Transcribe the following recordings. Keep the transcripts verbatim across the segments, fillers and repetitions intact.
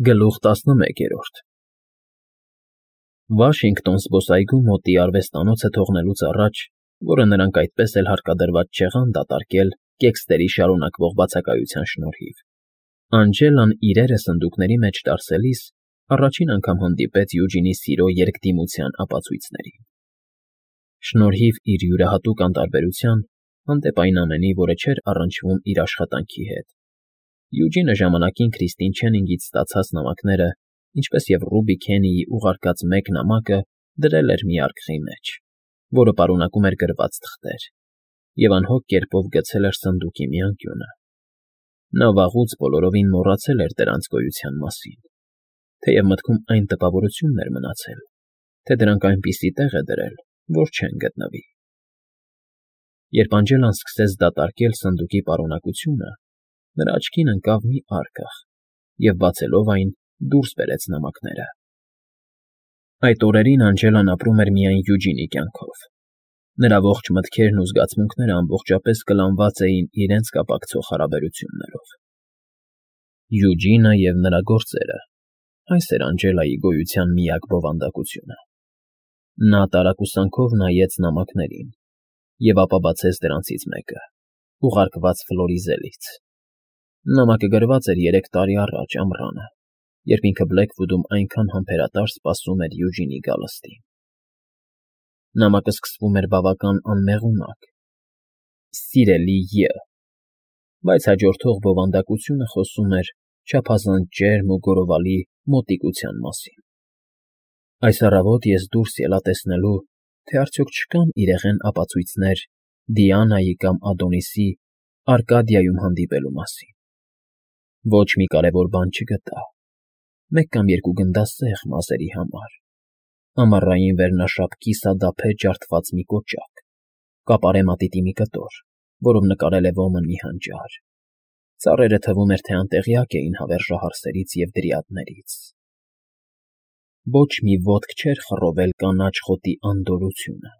Գլուխ տասնմեկերորդ Վաշինգտոն զբոսայգու մոտի արվեստանոցը թողնելուց առաջ, որը նրանք այդպես էլ հարկադրված չեղան դատարկել կեքստերի շարունակվող բացակայության շնորհիվ, Անջելան իրերը սնդուկների մեջ տարսելիս առաջին անգամ հանդիպեց Յուջինի սիրո երկդիմության ապացույցներին։ Շնորհիվ իր յուրահատուկ անտարբերության, հանդեպ այն ամենի, որը չէր առնչվում իր աշխատանքի հետ, Յուջինը ժամանակին Քրիստին Չենինգից ստացած նամակները, ինչպես և Ռուբի Քենիի ուղարկած մեկ նամակը դրել էր մի արկղի մեջ, որը պարունակում էր գրված թղթեր, և անհոգ կերպով գցել էր սնդուկի մի անկյունը։ Նա վաղուց բոլորովին մոռացել էր դրանց գոյության մասին, թեև մտքում այն տպավորությունն էր մնացել, թե դրանք այնպիսի տեղ է դրել, որ չեն գտնվի։ Երբ Անջելան սկսեց դատարկել սնդուկի պարունակությունը, նրա աչքին ընկավ մի արկղ, և բացելով այն, դուրս բերեց նամակները։ Այդ օրերին Անջելան ապրում էր միայն Յուջինի կյանքով։ Նրա ողջ մտքերն ու զգացմունքները ամբողջապես կլանված էին իրենց կապակցող հարաբերություններով։ Յուջինը և նրա գործերը, այս էր Անջելայի գոյության միակ բովանդակությունը։ Նա տարակուսանքով նայեց նամակներին և ապա բացեց դրանցից մեկը, ուղարկված Ֆլորիզելից։ Նամակը գրված էր երեք տարի առաջ ամռանը, երբ ինքը Բլեքվուդում այնքան համբերատար սպասում էր Յուջինի գալստին։ Նամակը սկսվում էր բավական անմեղունակ՝ «Սիրելի ය», բայց հաջորդող բովանդակությունը խոսում էր չափազանց ջերմ ու գոռովալի մոտիկության մասին։ Այս առավոտ ես դուրս ելա տեսնելու, թե արդյոք չկան իրեղեն ապացույցներ Դիանայի կամ Ադոնիսի Արկադիայում հանդիպելու մասին։ Ոչ մի կարևոր բան չգտա, մեկ կամ երկու գնդասեղ մազերի համար, ամառային վերնաշապքի սադափե ջարդված մի կոճակ, կապարե մատիտի մի կտոր, որով նկարել է ոմն մի հանճար։ Ծառերը թվում էր, թե անտեղյակ էին հավերժահարսերից և դրիադներից։ Ոչ մի ոտք չէր խռովել կանաչ խոտի անդորրությունը։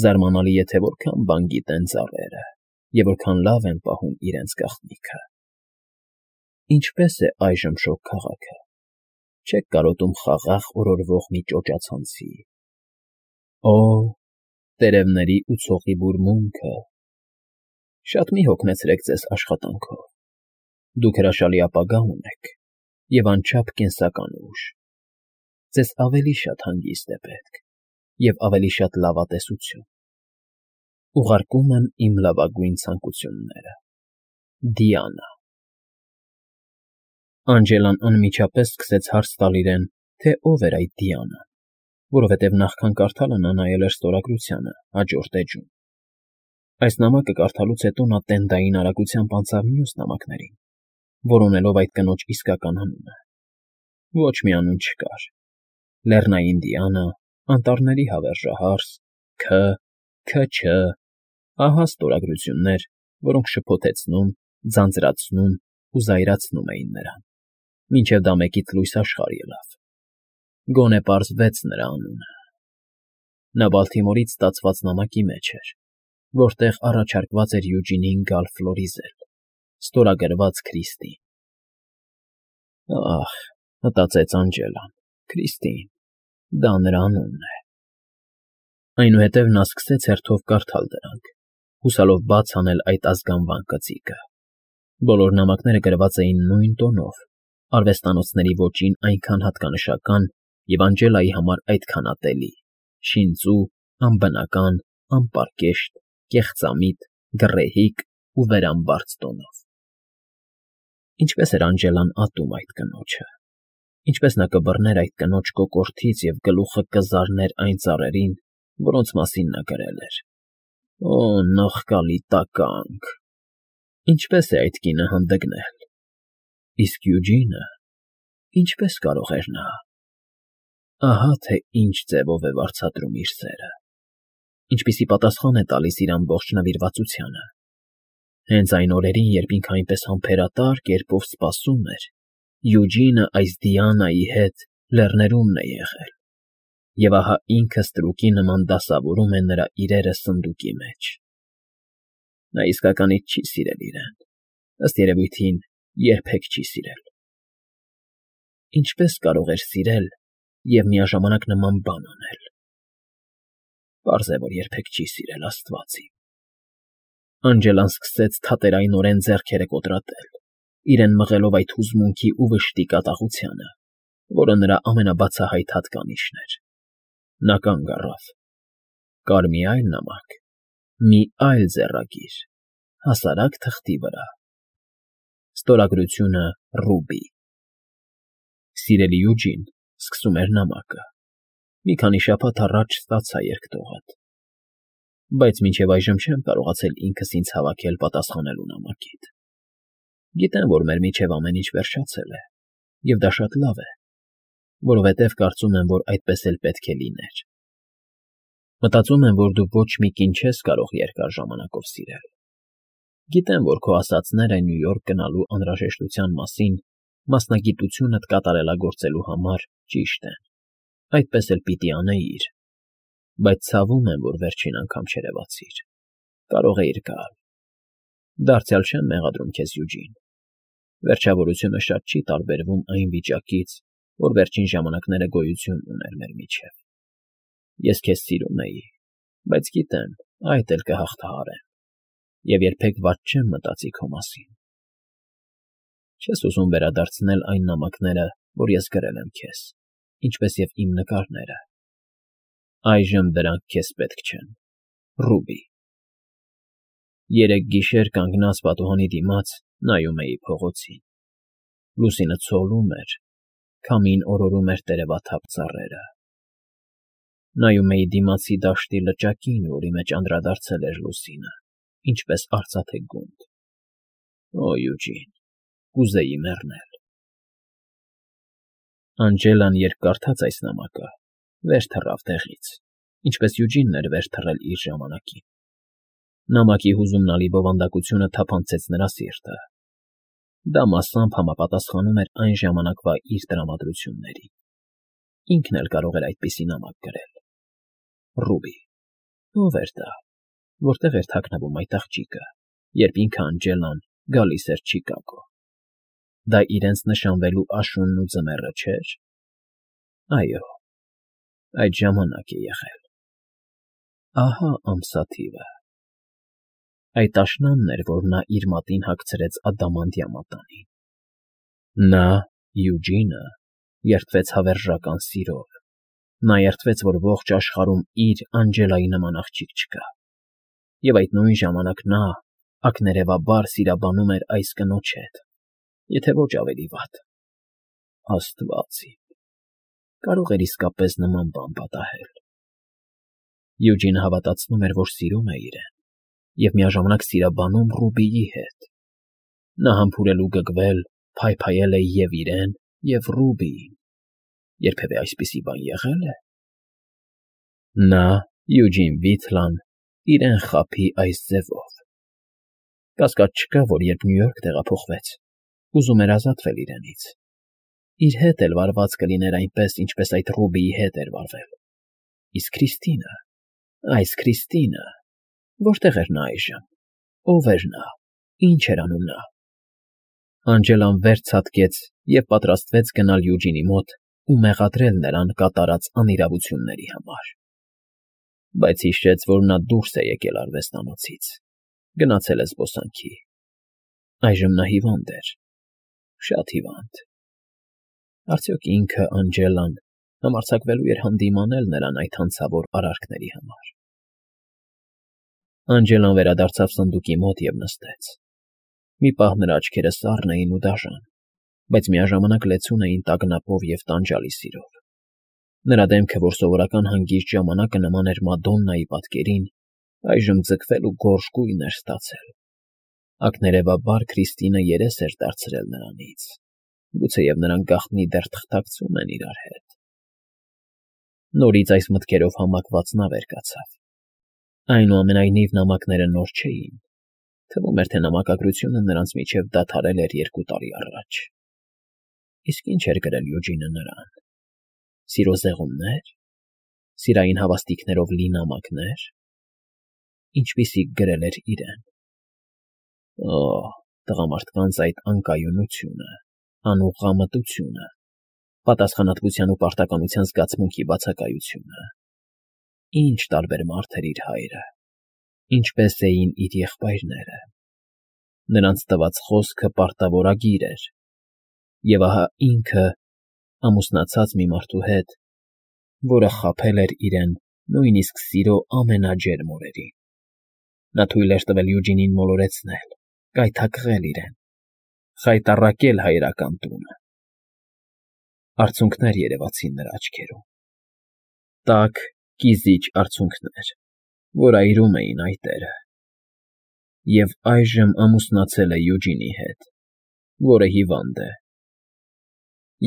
Զարմանալի է, թե որքան բան գիտեն ծառերը և որքան լավ են պահում իրենց գաղտնիքը։ Ինչպե՞ս է այժմ Շոգ քաղաքը։ Չե՞ք կարոտում խաղաղ օրորվող մի ճոճացանցի։ Օ՜, տերևների ու ցողի բուրմունքը… Շատ մի հոգնեցրեք ձեզ աշխատանքով։ Դուք հրաշալի ապագա ունեք և անչափ կենսական ուժ։ Ձեզ ավելի շատ հանգիստ է պետք և ավելի շատ լավատեսություն։ Ուղարկում եմ իմ լավագույն ցանկությունները։ Դիանա։ Անջելան անմիջապես սկսեց հարց տալ իրեն, թե ով էր այդ Դիանան, որովհետև նախքան կարդալը նա նայել էր ստորագրությանը հաջորդ էջում։ Այս նամակը կարդալուց հետո նա տենդային արագությամբ անցավ մյուս նամակներին, որոնելով այդ կնոջ իսկական անունը։ Ոչ մի անուն չկար. Լեռնային Դիանա, Անտառների հավերժահարս, Ք. Ք.Չ. Ահա ստորագրություններ, որոնք շփոթեցնում, ձանձրացնում ու զայրացնում էին նրան, մինչև դա մեկից լույս աշխարհ ելավ։ Գոնե պարզվեց նրա անունը։ Նա Բալթիմորից ստացված նամակի մեջ էր, որտեղ առաջարկված էր Յուջինին գալ Ֆլորիզել, ստորագրված Քրիստին։ Ահ, մտածեց Անջելան, Քրիստին, դա նրա անունն է։ Այնուհետև նա սկսեց հերթով կարդալ դրանք, հուսալով բաց անել այդ ազգանվան կծիկը։ Բոլոր նամակները գրված էին նույն տոնով, արվեստանոցների ոճին այնքան հատկանշական և Անջելայի համար այդքան ատելի, շինծու, անբնական, անպարկեշտ, կեղծամիտ, գռեհիկ ու վերամբարձ տոնով։ Ինչպես էր Անջելան ատում այդ կնոջը։ Ինչպես նա կբռներ այդ կնոջ կոկորդից և գլուխը կզարներ այն ծառերին, որոնց մասին նա գրել էր։ Օ՜, նողկալի տականք… Ինչպե՞ս է այդ կինը հանդգնել։ Իսկ Յուջինը… ինչպե՞ս կարող էր նա… Ահա թե ինչ ձևով է վարձատրում իր սերը, ինչպիսի պատասխան է տալիս իր ամբողջ նվիրվածությանը։ Հենց այն օրերին, երբ ինքը այնպես համբերատար կերպով սպասում էր, Յուջինը այս Դիանայի հետ լեռներումն է եղել, և ահա ինքը ստրուկի նման դասավորում է նրա իրերը սնդուկի մեջ։ Նա իսկականից չի սիրել իրեն, ըստ երևույթին երբեք չի սիրել։ Ինչպես կարող էր սիրել և միաժամանակ նման բան անել։ Պարզ է, որ երբեք չի սիրել, աստված իմ… Անգելան սկսեց թատերայնորեն ձեռքերը կոտրատել, իրեն մղելով այդ հուզմունքի ու վշտի կատաղությանը, որը նրա ամենաբացահայտ հատկանիշն էր։ Նա կանգ առավ։ Կար մի այլ նամակ, մի այլ ձեռագիր, հասարակ թղթի վրա. Ստորագրությունը Ռուբի։ Սիրելի Յուջին, սկսում էր նամակը, մի քանի շաբաթ առաջ ստացա երկտողդ, բայց մինչև այժմ չեմ կարողացել ինքս ինձ հավաքել պատասխանելու նամակիդ։ Գիտեմ, որ մեր միջև ամեն ինչ վերջացել է, և դա շատ լավ է, որովհետև կարծում եմ, որ այդպես էլ պետք է լիներ։ Մտածում եմ, որ դու ոչ մի կին չես կարող երկար ժամանակով սիրել։ Գիտեմ, որ քո ասածները Նյու Յորք գնալու անհրաժեշտության մասին մասնագիտությունդ կատարելագործելու համար ճիշտ են, այդպես էլ պիտի անեիր, բայց ցավում եմ, որ վերջին անգամ չերևացիր, կարող էիր գալ։ Դարձյալ չեմ մեղադրում քեզ, Յուջին, վերջավորությունը շատ չի տարբերվում այն վիճակից, որ վերջին ժամանակները գոյություն ուներ մեր միջև։ Ես քեզ սիրում էի, բայց գիտեմ, այդ էլ կհաղթահարեմ, և երբեք վատ չեմ մտածի քո մասին։ Չես ուզում վերադարձնել այն նամակները, որ ես գրել եմ քեզ, ինչպես և իմ նկարները։ Այժմ դրանք քեզ պետք չեն։ Ռուբի։ Երեկ գիշեր կանգնած պատուհանի դիմաց նայում էի փողոցին։ Լուսինը ցողում էր, քամին օրորում էր տերևաթափ ծառերը։ Նայում էի դիմացի դաշտի լճակին, որի մեջ անդրադարձել էր լուսինը, ինչպես արծաթե գունդ։ Օ, Յուջին, կուզեի մեռնել։ Անգելան, երբ կարդաց այս նամակը, վեր թռավ տեղից, ինչպես Յուջինն էր վեր թռել իր ժամանակին։ Նամակի հուզումնալի բովանդակությունը թափանցեց նրա սիրտը։ Դա մասամբ համապատասխանում էր այն ժամանակվա իր տրամադրություններին։ Ինքն էլ կարող էր այդպիսի նամակ գրել։ Ռուբի։ Ո՞վ էր դա, որտեղ էր թաքնվում այդ աղջիկը, երբ ինքը Անգելան գալիս էր Չիկագո։ Դա իրենց նշանվելու աշունն ու ձմեռը չէր։ Այո, այդ ժամանակ է եղել։ Ահա ամսաթիվը։ Այդ աշնանն էր, որ նա իր մատին հագցրեց ադամանդյա մատանին։ Նա, Յուջինը, երդվեց հավերժական սիրով։ Նա երդվեց, որ ողջ աշխարհում իր Անգելայի նման աղջիկ չկա։ Եվ այդ նույն ժամանակ նա ակներևաբար սիրաբանում էր այս կնոջ հետ, եթե ոչ ավելի վատ։ Աստված իմ… Կարող էր իսկապես նման բան պատահել։ Յուջինը հավատացնում էր, որ սիրում է իրեն, և միաժամանակ սիրաբանում Ռուբիի հետ։ Նա համբուրել ու գգվել, փայփայել է և՛ իրեն, և Ռուբիին։ Երբևէ այսպիսի բան եղե՞լ է։ Նա, Յուջին Վիթլան, իրեն խաբի այս ձևով։ Կասկած չկա, որ երբ Նյու Յորք տեղափոխվեց, ուզում էր ազատվել իրենից։ Իր հետ էլ վարված կլիներ այնպես, ինչպես այդ Ռուբիի հետ էր վարվել։ Իսկ Քրիստինը… Այս Քրիստինը… Որտե՞ղ էր նա այժմ։ Ո՞վ էր նա, ինչ էր անում նա։ Անգելան վեր ցատկեց և պատրաստվեց գնալ Յուջինի մոտ ու մեղադրել նրան կատարած անիրավությունների համար։ Բայց հիշեց, որ նա դուրս է եկել արվեստանոցից, գնացել է զբոսանքի։ Այժմ նա հիվանդ էր, շատ հիվանդ։ Արդյոք ինքը, Անգելան, համարձակվելու էր հանդիմանել նրան այդ հանցավոր արարքների համար։ Անգելան վերադարձավ սնդուկի մոտ և նստեց։ Մի պահ նրա աչքերը սառն էին ու դաժան, բայց միաժամանակ լեցուն էին տագնապով և տանջալի սիրով։ Նրա դեմքը, որ սովորական հանգիստ ժամանակը նման էր Մադոննայի պատկերին, այժմ ձգվել ու գորշ գույն էր ստացել։ Ակներևաբար Քրիստինը երես էր դարձրել նրանից, գուցեև նրանք գաղտնի դեռ թղթակցում են իրար հետ։ Նորից այս մտքերով համակված նա վեր կացավ։ Այնուամենայնիվ նամակները նոր չէին։ Թվում էր, թե նամակագրությունը նրանց միջև դադարել էր երկու տարի առաջ։ Իսկ ինչ էր գրել Յուջինը նրան։ Սիրո զեղումնե՞ր։ Սիրային հավաստիքներով լի նամակնե՞ր։ Ինչպիսիք գրել էր իրեն։ Օ՜, տղամարդկանց այդ անկայունությունը, անուղղամտությունը, Պատասխանատվության ու պարտականության զգացմունքի բացակայությունը։ Ինչ տարբեր մարդ էր իր հայրը, ինչպես էին իր եղբայրները։ Նրանց տված խոսքը պարտավորագիր էր, և ահա ինքը ամուսնացած մի մարդու հետ, որը խաբել էր իրեն նույնիսկ սիրո ամենաջերմ օրերին։ Նա թույլ էր տվել Յուջինին մոլորեցնել, կայթակղել իրեն, խայտառակել հայրական տունը։ Արցունքներ երևացին նրա աչքերում, տաք, կիզիչ արցունքներ, որ այրում էին այտերը։ Եվ այժմ ամուսնացել է Յուջինի հետ, որը հիվանդ է,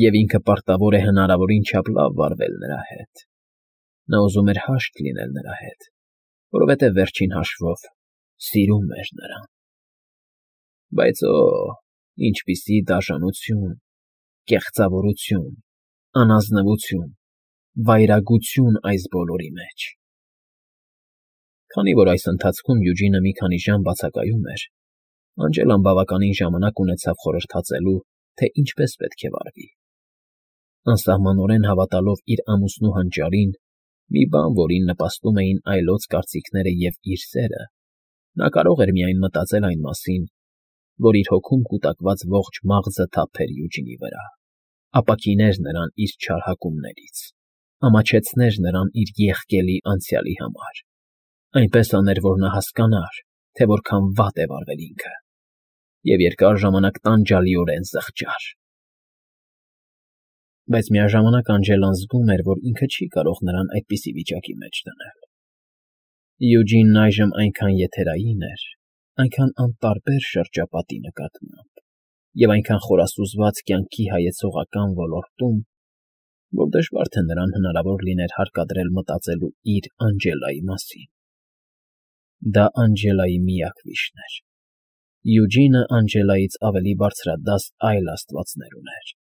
և ինքը պարտավոր է հնարավորին չափ լավ վարվել նրա հետ։ Նա ուզում էր հաշտ լինել նրա հետ, որովհետև վերջին հաշվով սիրում էր նրան։ Բայց օ՜, ինչպիսի դաժանություն, կեղծավորություն, անազնվություն, վայրագություն այս բոլորի մեջ։ Քանի որ այս ընթացքում Յուջինը մի քանի ժամ բացակայում էր, Անջելան բավականին ժամանակ ունեցավ խորհրդածելու, թե ինչպես պետք է վարվի։ Անսահմանորեն հավատալով իր ամուսնու հանճարին, մի բան, որին նպաստում էին այլոց կարծիքները և իր սերը, նա կարող էր միայն մտածել այն մասին, որ իր հոգում կուտակված ողջ մաղձը թափեր Յուջինի վրա, ապաքիներ նրան իր չար հակումներից, ամաչեցներ նրան իր եղկելի անցյալի համար, այնպես աներ, որ նա հասկանար, թե որքան վատ է վարվել ինքը, և երկար ժամանակ տանջալիորեն զղջար։ Բայց միաժամանակ Անջելան զգում էր, որ ինքը չի կարող նրան այդպիսի վիճակի մեջ դնել։ Յուջինն այժմ այնքան եթերային էր, այնքան անտարբեր շրջապատի նկատմամբ և այնքան խորասուզված կյանքի հայեցողական ոլորտում, որ դժվար թե նրան հնարավոր լիներ հարկադրել մտածելու իր Անջելայի մասին։ Դա Անջելայի միակ վիշտն էր։ Յուջինը Անջելայից ավելի բարձրադաս այլ աստվածներ ուներ.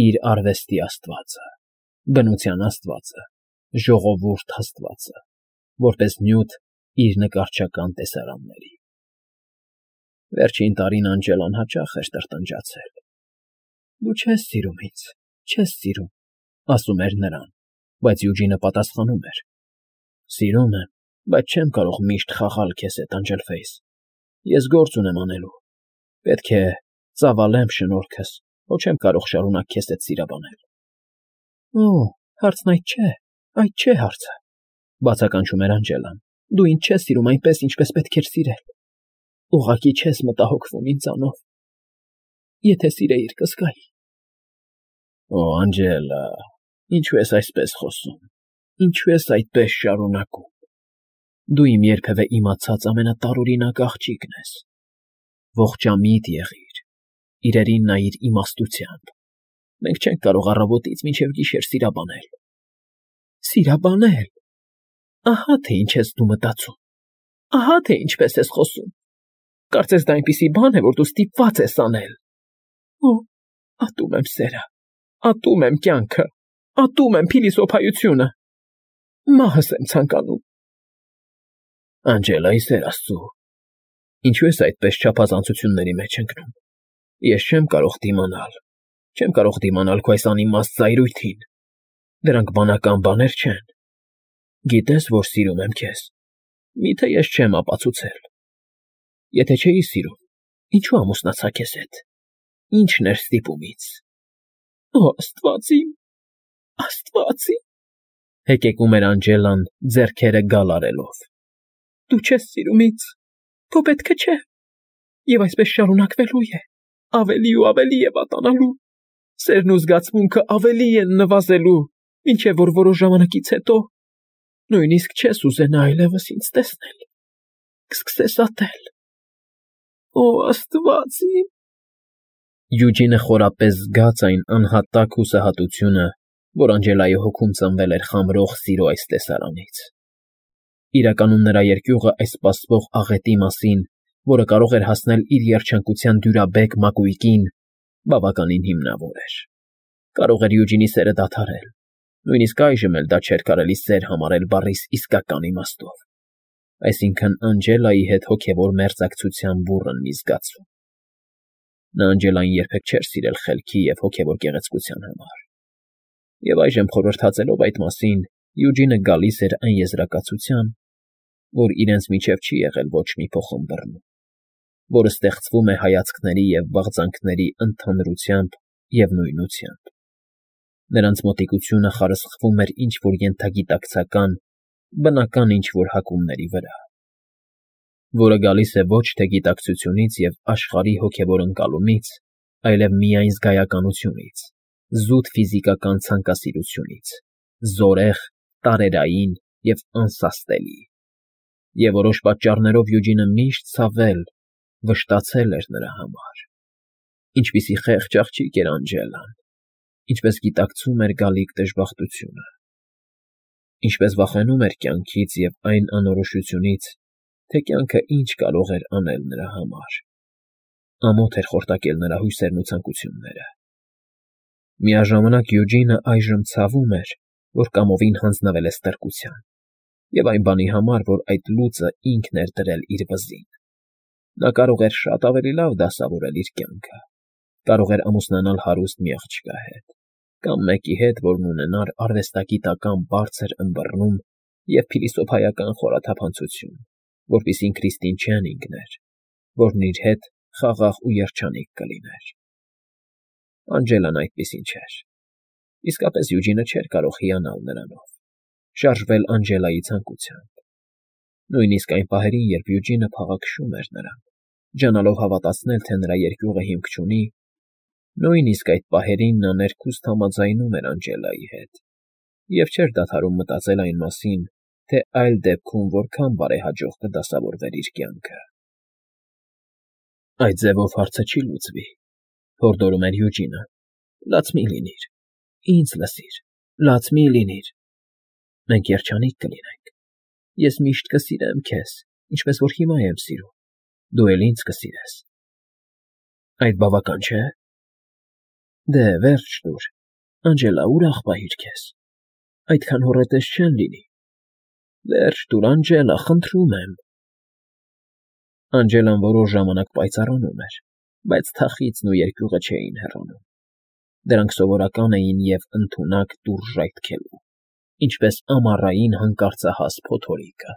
իր արվեստի աստվածը, բնության աստվածը, ժողովուրդ աստվածը, որպես նյութ իր նկարչական տեսարանների։ Վերջին տարին Անջելան հաճախ էր տրտնջացել. «Դու չես սիրում ինձ, չես սիրում», ասում էր նրան, բայց Յուջինը պատասխանում էր. «Սիրում եմ, բայց չեմ կարող միշտ խաղալ քեզ հետ, Անջելֆեյս, ես գործ ունեմ անելու, պետք է ծավալեմ շնորհքս, հո չեմ կարող շարունակ քեզ հետ սիրաբանել»։ «Օ, հարցն այդ չէ, այդ չէ հարցը», բացականչում էր Անջելան, «դու ինձ չես սիրում այնպես, ինչպես պետք էր սիրել, ուղղակի չես մտահոգվում ինձանով, եթե սիրեիր, կզգայի»։ «Օ, Անջելա, ինչու ես այսպես խոսում, ինչու ես այդպես շարունակում, դու իմ երբևէ իմացած ամենատարօրինակ աղջիկն ես, ողջամիտ եղիր, իրերին նայիր իմաստությամբ, մենք չենք կարող առավոտից մինչև գիշեր սիրաբանել»։ «Սիրաբանել, ահա թե ինչ ես դու մտածում, ահա թե ինչպես ես խոսում, կարծես դա այնպիսի բան է, որ դու ստիպված ես անել։ Օ, ատում եմ սերը, ատում եմ կյանքը, ատում եմ փիլիսոփայությունը, մահս եմ ցանկանում»։ «Անջելա, ի սեր Աստծո, ինչու ես այդպես չափազանցությունների մեջ ընկնում, ես չեմ կարող դիմանալ, չեմ կարող դիմանալ քո այս անիմաստ զայրույթին, դրանք բանական բաներ չեն։ Գիտես, որ սիրում եմ քեզ, մի՞թե ես չեմ ապացուցել։ Եթե չէի սիրում, ինչու ամուսնացա քեզ հետ, ի՞նչն էր ստիպումից»։ «Օ, Աստված իմ, Աստված իմ», հեկեկում էր Անջելան, ձեռքերը գալ արելով, «դու չես սիրում ինձ, քո պետքը չէ, և այսպես շարունակվելու է, ավելի ու ավելի է վատանալու, սերն ու զգացմունքը ավելի են նվազելու, մինչև որ որոշ ժամանակից հետո նույնիսկ չես ուզենա այլևս ինձ տեսնել, կսկսես ատել։ Օ, Աստված իմ»։ Յուջինը խորապես զգաց այն անհատակ հուսահատությունը, որ Անջելայի հոգում ծնվել էր խամրող սիրո այս տեսարանից։ Իրականում նրա երկյուղը այս սպասվող աղետի մասին, որը կարող էր հասնել իր երջանկության դյուրաբեկ մակույկին, բավականին հիմնավոր էր։ Կարող էր Յուջինի սերը դադարել, նույնիսկ այժմ էլ դա չէր կարելի սեր համարել բառիս իսկական իմաստով, այսինքն Անջելայի հետ հոգևոր մերձակցության բուռն մի զգացում։ Նա Անջելային երբեք չէր սիրել խելքի և հոգևոր գեղեցկության համար, Եվ այժմ խորհրդածելով այդ մասին, Յուջինը գալիս էր այն եզրակացության, որ իրենց միջև չի եղել ոչ մի փոխըմբռնում, որը ստեղծվում է հայացքների և բաղձանքների ընդհանրությամբ և նույնությամբ. նրանց մոտիկությունը խարսխվում էր ինչ֊որ ենթագիտակցական, բնական ինչ֊որ հակումների վրա, որը գալիս է ոչ թե գիտակցությունից և աշխարհի հոգևոր ընկալումից, այլև միայն զգայականությունից, զուտ ֆիզիկական ցանկասիրությունից, զորեղ, տարերային և անսաստելի, և որոշ պատճառներով Յուջինը միշտ ցավել, վշտացել էր նրա համար. ինչպիսի խեղճ աղջիկ էր Անջելան, ինչպես գիտակցում էր գալիք դժբախտությունը, ինչպես վախենում էր կյանքից և այն անորոշությունից, թե կյանքը ինչ կարող էր անել նրա համար, ամոթ էր խորտակել նրա հույսերն ու ցանկությունները։ Միաժամանակ Յուջինը այժմ ցավում էր, որ կամովին հանձնվել է ստրկության, և այն բանի համար, որ այդ լուծը ինքն էր դրել իր վզին։ Նա կարող էր շատ ավելի լավ դասավորել իր կյանքը, կարող էր ամուսնանալ հարուստ մի աղջկա հետ, կամ մեկի հետ, որն ունենար արվեստագիտական բարձր ըմբռնում և փիլիսոփայական խորաթափանցություն, որպիսին Քրիստին չեն ինգներ, որն իր հետ խաղաղ ու երջանիկ կլիներ։ Անջելան այդպիսին չէր։ Իսկապես Յուջինը չէր կարող հիանալ նրանով, շարժվել Անջելայի ցանկությամբ։ Նույնիսկ այն պահերին, երբ Յուջինը փաղաքշում էր նրան, ջանալով հավատացնել, թե նրա երկյուղը հիմք չունի, նույնիսկ այդ պահերին նա ներքուստ համաձայնում էր Անջելայի հետ և չէր դադարում մտածել այն մասին, թե այլ դեպքում որքան բարեհաջող կդասավորվեր իր կյանքը։ Այդ ձևով հարցը չի լուծվի, հորդորում էր Յուջինը, լաց մի՛ լինիր, ինձ լսիր, լաց մի՛ լինիր, մենք երջանիկ կլինենք, ես միշտ կսիրեմ քեզ, ինչպես որ հիմա եմ սիրում, դու էլ ինձ կսիրես։ Այդ բավական չէ՞։ Դե, վերջ տուր, Անջելա, ուրախ պահիր քեզ, այդքան հոռետես չեն լինի։ Վերջ տուր, Անջելա, խնդրում եմ։ Անջելան որոշ ժամանակ պայծառանում էր, բայց թախիծն ու երկյուղը չէին հեռանում։ Դրանք սովորական էին և ընդունակ տուր ժայթքելու, ինչպես ամառային հանկարծահաս փոթորիկը։